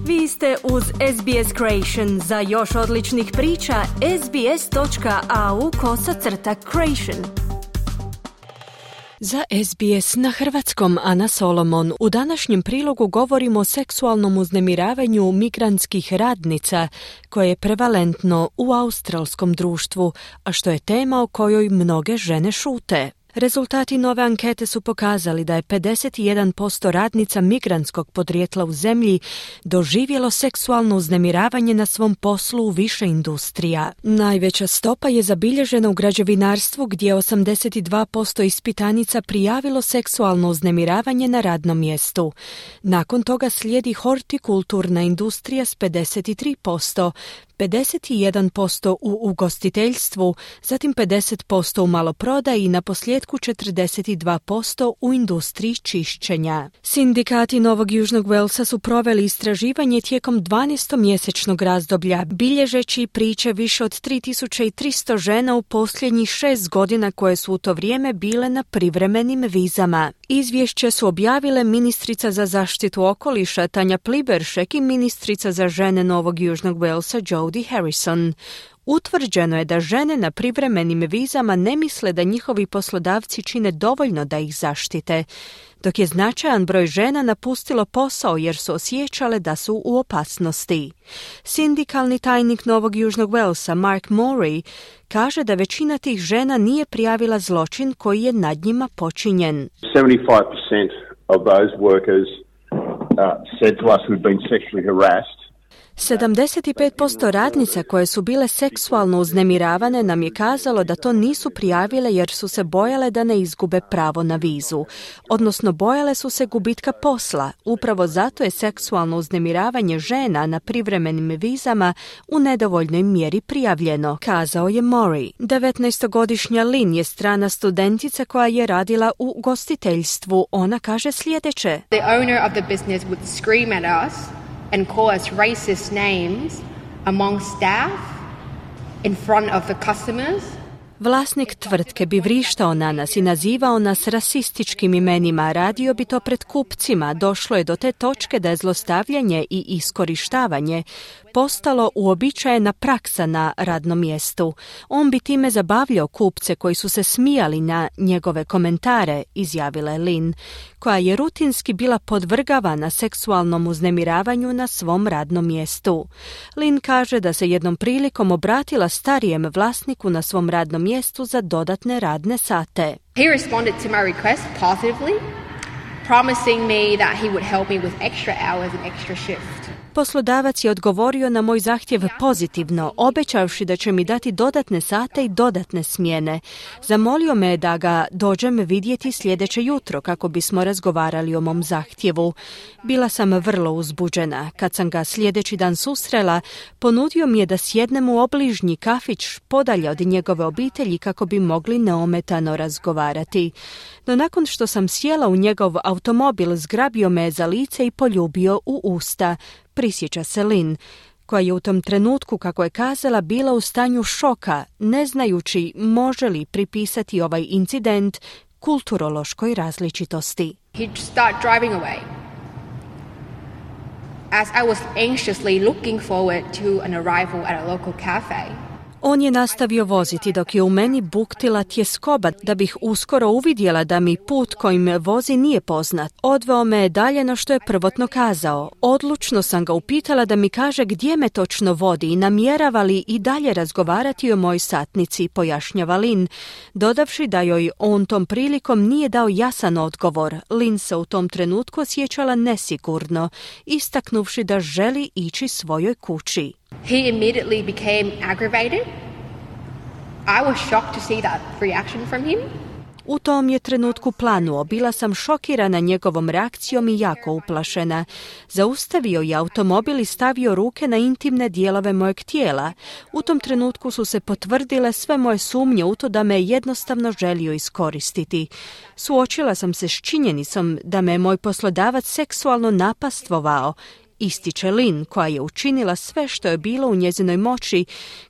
Vi ste uz SBS Creation. Za još odličnih priča, sbs.au/creation. Za SBS na hrvatskom Ana Solomon. U današnjem prilogu govorimo o seksualnom uznemiravanju migrantskih radnica koje je prevalentno u australskom društvu, a što je tema o kojoj mnoge žene šute. Rezultati nove ankete su pokazali da je 51% radnica migrantskog podrijetla u zemlji doživjelo seksualno uznemiravanje na svom poslu u više industrija. Najveća stopa je zabilježena u građevinarstvu gdje 82% ispitanica prijavilo seksualno uznemiravanje na radnom mjestu. Nakon toga slijedi hortikulturna industrija s 53%, 51% u ugostiteljstvu, zatim 50% u maloprodaji i na posljedku 42% u industriji čišćenja. Sindikati Novog Južnog Walesa su proveli istraživanje tijekom 12-mjesečnog razdoblja, bilježeći priče više od 3300 žena u posljednjih 6 godina koje su u to vrijeme bile na privremenim vizama. Izvješće su objavile ministrica za zaštitu okoliša Tanja Pliberšek i ministrica za žene Novog Južnog Walesa Jodie Harrison. Utvrđeno je da žene na privremenim vizama ne misle da njihovi poslodavci čine dovoljno da ih zaštite, dok je značajan broj žena napustilo posao jer su osjećale da su u opasnosti. Sindikalni tajnik Novog Južnog Walesa Mark Morey kaže da većina tih žena nije prijavila zločin koji je nad njima počinjen. 75% of those workers said to us who'd been sexually harassed. 75% radnica koje su bile seksualno uznemiravane nam je kazalo da to nisu prijavile jer su se bojale da ne izgube pravo na vizu. Odnosno bojale su se gubitka posla. Upravo zato je seksualno uznemiravanje žena na privremenim vizama u nedovoljnoj mjeri prijavljeno, kazao je Mori. 19-godišnja Lynn je strana studentica koja je radila u gostiteljstvu. Ona kaže sljedeće. The owner of the business would scream at us and call us racist names among staff in front of the customers. Vlasnik tvrtke bi vrištao na nas i nazivao nas rasističkim imenima, radio bi to pred kupcima. Došlo je do te točke da je zlostavljanje i iskorištavanje postalo uobičajena praksa na radnom mjestu. On bi time zabavljao kupce koji su se smijali na njegove komentare, izjavila je Lynn, koja je rutinski bila podvrgavana seksualnom uznemiravanju na svom radnom mjestu. Lynn kaže da se jednom prilikom obratila starijem vlasniku na svom radnom mjestu za dodatne radne sate. He responded to my request positively, promising me that he would help me with extra hours and extra shift. Poslodavac je odgovorio na moj zahtjev pozitivno, obećavši da će mi dati dodatne sate i dodatne smjene. Zamolio me da ga dođem vidjeti sljedeće jutro kako bismo razgovarali o mom zahtjevu. Bila sam vrlo uzbuđena. Kad sam ga sljedeći dan susrela, ponudio mi je da sjednem u obližnji kafić podalje od njegove obitelji kako bi mogli neometano razgovarati. No nakon što sam sjela u njegov automobil, zgrabio me za lice i poljubio u usta, prisjeća se Lynn, koja je u tom trenutku, kako je kazala, bila u stanju šoka, ne znajući može li pripisati ovaj incident kulturološkoj različitosti. He'd start driving away. As I was anxiously looking forward to an arrival at a local cafe. On je nastavio voziti dok je u meni buktila tjeskoba da bih uskoro uvidjela da mi put kojim vozi nije poznat. Odveo me je dalje no što je prvotno kazao. Odlučno sam ga upitala da mi kaže gdje me točno vodi i namjerava li i dalje razgovarati o mojoj satnici, pojašnjava Lynn, dodavši da joj on tom prilikom nije dao jasan odgovor. Lynn se u tom trenutku osjećala nesigurno, istaknuvši da želi ići svojoj kući. He immediately became aggravated. I was shocked to see that reaction from him. U tom je trenutku planuo. Bila sam šokirana njegovom reakcijom i jako uplašena. Zaustavio je automobil i stavio ruke na intimne dijelove mojeg tijela. U tom trenutku su se potvrdile sve moje sumnje u to da me je jednostavno želio iskoristiti. Suočila sam se s činjenicom da me je moj poslodavac seksualno napastvovao ističe Lynn, koja je učinila sve što je bilo u njezinoj moći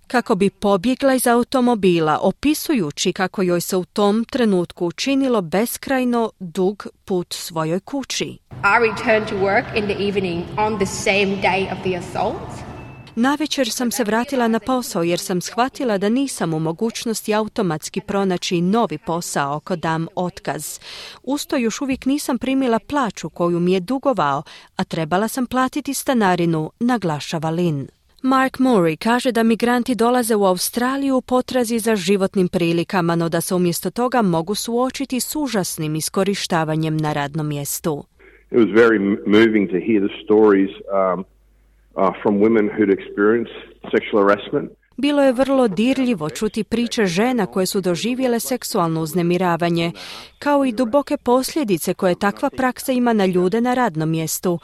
kako bi pobjegla iz automobila, opisujući kako joj se u tom trenutku učinilo beskrajno dug put svojoj kući. I returned to work in the evening on the same day of the assault. Navečer sam se vratila na posao jer sam shvatila da nisam u mogućnosti automatski pronaći novi posao ako dam otkaz. Usto još uvijek nisam primila plaću koju mi je dugovao, a trebala sam platiti stanarinu, naglašava Lynn. Mark Murray kaže da migranti dolaze u Australiju u potrazi za životnim prilikama, no da se umjesto toga mogu suočiti s užasnim iskorištavanjem na radnom mjestu. It was very moving to hear the stories from women who'd experienced sexual harassment. Bilo je vrlo dirljivo čuti priče žena koje su doživjele seksualno uznemiravanje, kao i duboke posljedice koje takva praksa ima na ljude na radnom mjestu,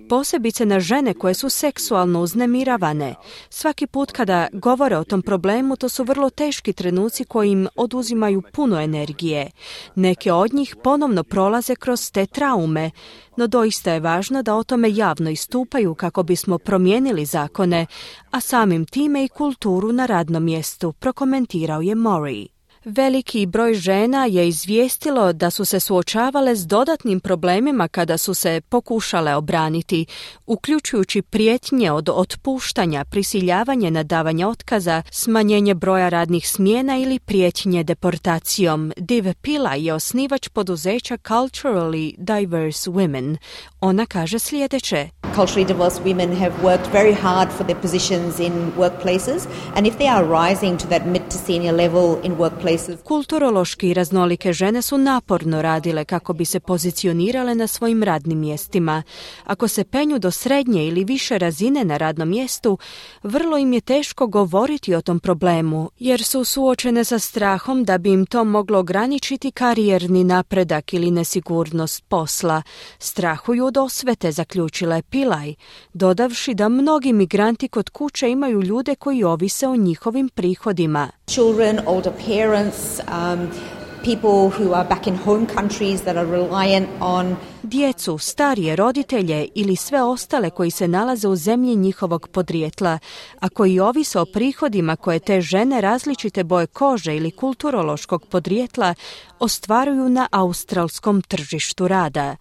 posebice na žene koje su seksualno uznemiravane. Svaki put kada govore o tom problemu, to su vrlo teški trenuci koji im oduzimaju puno energije. Neke od njih ponovno prolaze kroz te traume, no doista je važno da o tome javno istupaju kako bismo promijenili zakone, a samim time i kulturu na radnom mjestu, prokomentirao je Murray. Veliki broj žena je izvijestilo da su se suočavale s dodatnim problemima kada su se pokušale obraniti, uključujući prijetnje od otpuštanja, prisiljavanje na davanje otkaza, smanjenje broja radnih smjena ili prijetnje deportacijom. Div Pillay je osnivač poduzeća Culturally Diverse Women. Ona kaže sljedeće. Culturally diverse women have worked very hard for their positions in workplaces, and if they are rising to that mid to senior level in workplaces. Kulturološki raznolike žene su naporno radile kako bi se pozicionirale na svojim radnim mjestima. Ako se penju do srednje ili više razine na radnom mjestu, vrlo im je teško govoriti o tom problemu, jer su suočene sa strahom da bi im to moglo ograničiti karijerni napredak ili nesigurnost posla. Strahuju od osvete, zaključila je Pillay, dodavši da mnogi migranti kod kuće imaju ljude koji ovise o njihovim prihodima. Children, older parents, people who are back in home countries that are reliant on djecu, starije roditelje ili sve ostale koji se nalaze u zemlji njihovog podrijetla, a koji ovise o prihodima koje te žene različite boje kože ili kulturološkog podrijetla ostvaruju na australskom tržištu rada.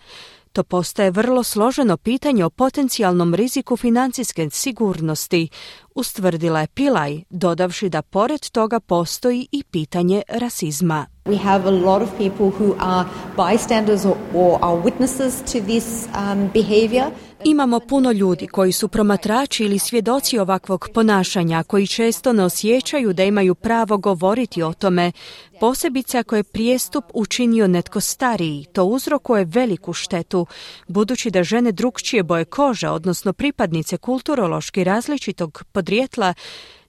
To postaje vrlo složeno pitanje o potencijalnom riziku financijske sigurnosti, ustvrdila je Pillay, dodavši da pored toga postoji i pitanje rasizma. We have a lot of people who are bystanders or are witnesses to this behavior. Imamo puno ljudi koji su promatrači ili svjedoci ovakvog ponašanja, koji često ne osjećaju da imaju pravo govoriti o tome. Posebice ako je prijestup učinio netko stariji, to uzrokuje veliku štetu, budući da žene drukčije boje kože, odnosno pripadnice kulturološki različitog podrijetla,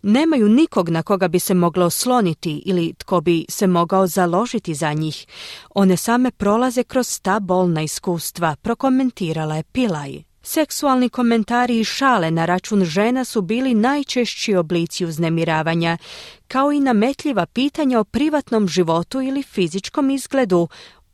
nemaju nikog na koga bi se moglo osloniti ili tko bi se mogao založiti za njih. One same prolaze kroz ta bolna iskustva, prokomentirala je Pillay. Seksualni komentari i šale na račun žena su bili najčešći oblici uznemiravanja, kao i nametljiva pitanja o privatnom životu ili fizičkom izgledu,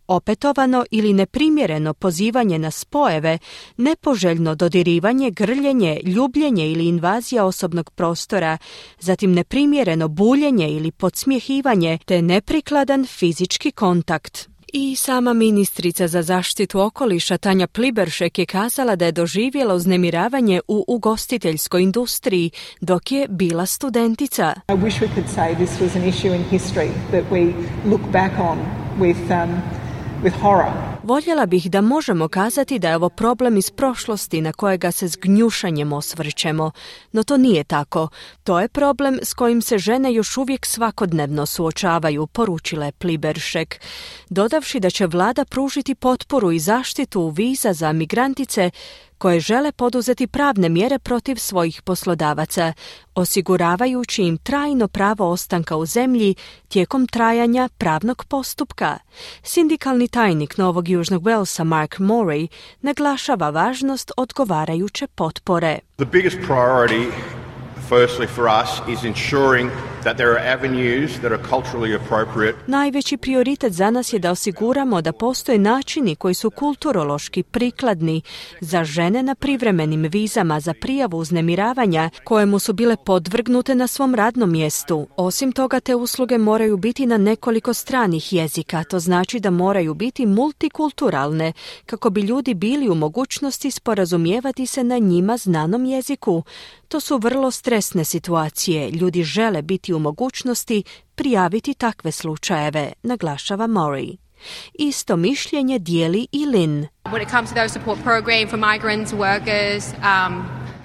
opetovano ili neprimjereno pozivanje na spojeve, nepoželjno dodirivanje, grljenje, ljubljenje ili invazija osobnog prostora, zatim neprimjereno buljenje ili podsmjehivanje te neprikladan fizički kontakt. I sama ministrica za zaštitu okoliša Tanja Pliberšek je kazala da je doživjela uznemiravanje u ugostiteljskoj industriji dok je bila studentica. I wish we could say this was an issue in history that we look back on with horror. Voljela bih da možemo kazati da je ovo problem iz prošlosti na kojega se s gnjušanjem osvrćemo, no to nije tako. To je problem s kojim se žene još uvijek svakodnevno suočavaju, poručila je Pliberšek, dodavši da će vlada pružiti potporu i zaštitu viza za migrantice koje žele poduzeti pravne mjere protiv svojih poslodavaca, osiguravajući im trajno pravo ostanka u zemlji tijekom trajanja pravnog postupka. Sindikalni tajnik Novog Južnog Walesa Mark Murray naglašava važnost odgovarajuće potpore. The biggest priority firstly for us is ensuring that there are avenues that are culturally appropriate. Najveći prioritet za nas je da osiguramo da postoje načini koji su kulturološki prikladni za žene na privremenim vizama za prijavu uznemiravanja kojemu su bile podvrgnute na svom radnom mjestu. Osim toga, te usluge moraju biti na nekoliko stranih jezika. To znači da moraju biti multikulturalne kako bi ljudi bili u mogućnosti sporazumijevati se na njima znanom jeziku. To su vrlo stresne situacije. Ljudi žele biti u mogućnosti prijaviti takve slučajeve, naglašava Mori. Isto mišljenje dijeli i Lynn. When it comes to those support program for migrants, workers,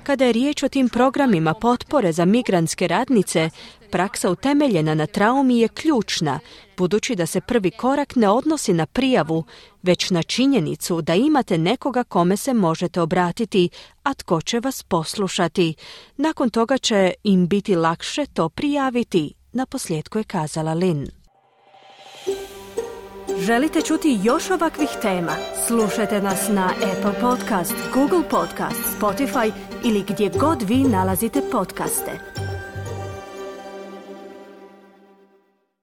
Kada je riječ o tim programima potpore za migrantske radnice, praksa utemeljena na traumi je ključna, budući da se prvi korak ne odnosi na prijavu, već na činjenicu da imate nekoga kome se možete obratiti, a tko će vas poslušati. Nakon toga će im biti lakše to prijaviti, naposljetku je kazala Lynn. Želite čuti još ovakvih tema? Slušajte nas na Apple Podcast, Google Podcast, Spotify ili gdje god vi nalazite podcaste.